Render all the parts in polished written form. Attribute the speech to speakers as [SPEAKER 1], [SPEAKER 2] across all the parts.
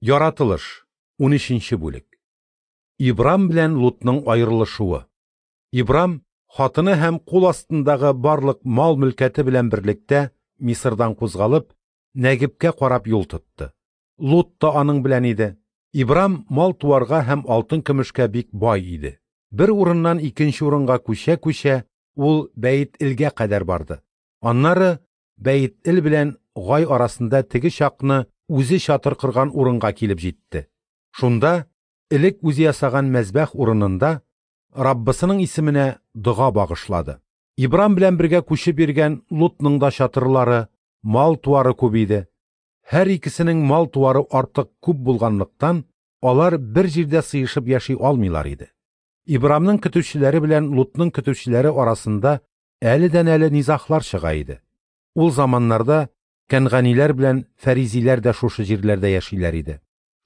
[SPEAKER 1] Яратылыш, 13 бүлек. Ибрам белән Лутның аерылышуы. Ибрам хатыны һәм кул астындагы барлык мал-мөлкәте белән берлектә Мисырдан кузгалып, Нәгебкә карап юл тотты. Лут та аның белән иде. Ибрам мал-туарга һәм алтын-көмешкә бик бай иде. Бер урыннан икенче урынга күчә-күчә, ул Бәет-Элгә кадәр барды. Аннары Бәет-Эл белән Гай арасында теге чакны үзе чатыр корган урынга килеп җитте. Шунда, элек үзе ясаган мәзбәх урынында, Раббысының исеменә дога багышлады. Ибрам белән бергә күчеп йөргән Лутның да чатырлары, мал-туары күп иде. Һәр икесенең мал-туары артык күп булганлыктан, алар бер җирдә сыешып яши алмыйлар иде. Ибрамның көтүчеләре белән Лутның көтүчеләре арасында әледән-әле низаглар чыга иде. Ул заманнарда кәнганиләр белән фәризиләр дә шушы җирләрдә яшиләр иде.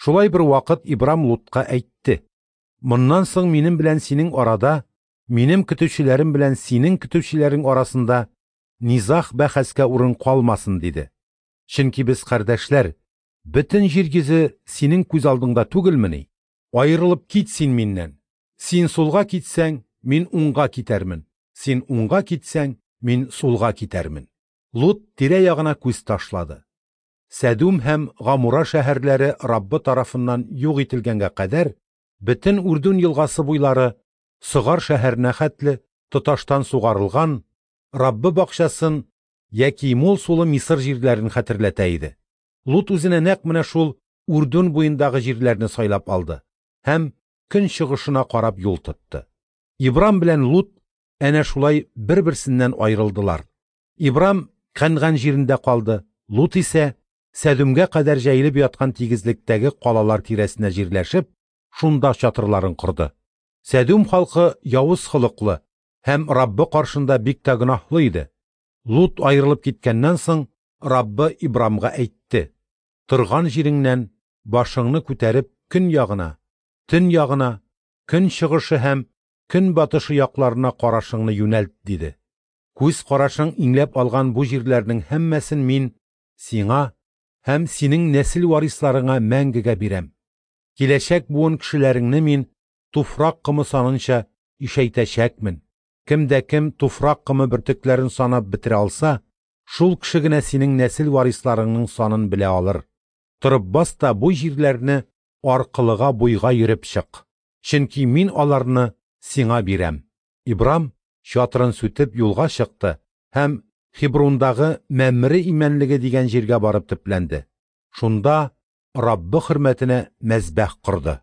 [SPEAKER 1] Шулай бер вакыт Ибрам Лутка әйтте: "Моннан соң минем белән синең арада, минем көтүчеләрем белән синең көтүчеләрең арасында низаг бәхәскә урын калмасын", диде. Чөнки без кардәшләр, бөтен җир йөзе синең күз алдыңда түгелмени? Аерылып кит син миннән. Син сулга китсәң, мин уңга китәрмен. Син уңга китсәң, мин сулга китәрмен. Лут тирә-ягына күз ташлады. Сәдүм һәм Гамура шәһәрләре Раббы тарафыннан юк ителгәнгә кадәр, бөтен Үрдүн елгасы буйлары Согар шәһәренә хәтле тоташтан сугарылган Раббы бакчасын яки мул сулы Мисыр җирләрен хәтерләтә иде. Лут үзенә нәкъ менә шул Үрдүн буендагы җирләрне сайлап алды һәм көн чыгышына карап юл тотты. Ибрам белән Лут әнә шулай бер-берсеннән аерылдылар. Ибрам Кәнган җирендә калды, Лут исә Сәдүмгә кадәр җәелеп яткан тигезлектәге калалар тирәсенә җирләшеп, шунда чатырларын корды. Сәдүм халкы явыз холыклы һәм Раббы каршында бик тә гөнаһлы иде. Лут аерылып киткәннән соң, Раббы Ибрамга әйтте: "Торган җиреңнән башыңны күтәреп көн ягына, төн ягына, көн чыгышы һәм көн батышы якларына карашыңны юнәлт", диде. Күз карашың иңләп алган бу җирләрнең һәммәсен мин сиңа һәм синең нәсел варисларыңа мәңгегә бирәм. Киләчәк буын кешеләреңне мин туфрак комы санынча ишәйтәчәкмен. Кем дә кем туфрак комы бөртекләрен санап бетерә алса, шул кеше генә синең нәсел варисларыңның санын белә алыр. Торып бас та бу җирләрне аркылыга буйга йөреп чык. Чөнки мин аларны сиңа бирәм. Ибрам чатырын сүтеп юлга чыкты һәм Хеброндагы Мәмре имәнлеге дигән җиргә барып төпләнде. Шунда Раббы хөрмәтенә мәзбәх корды.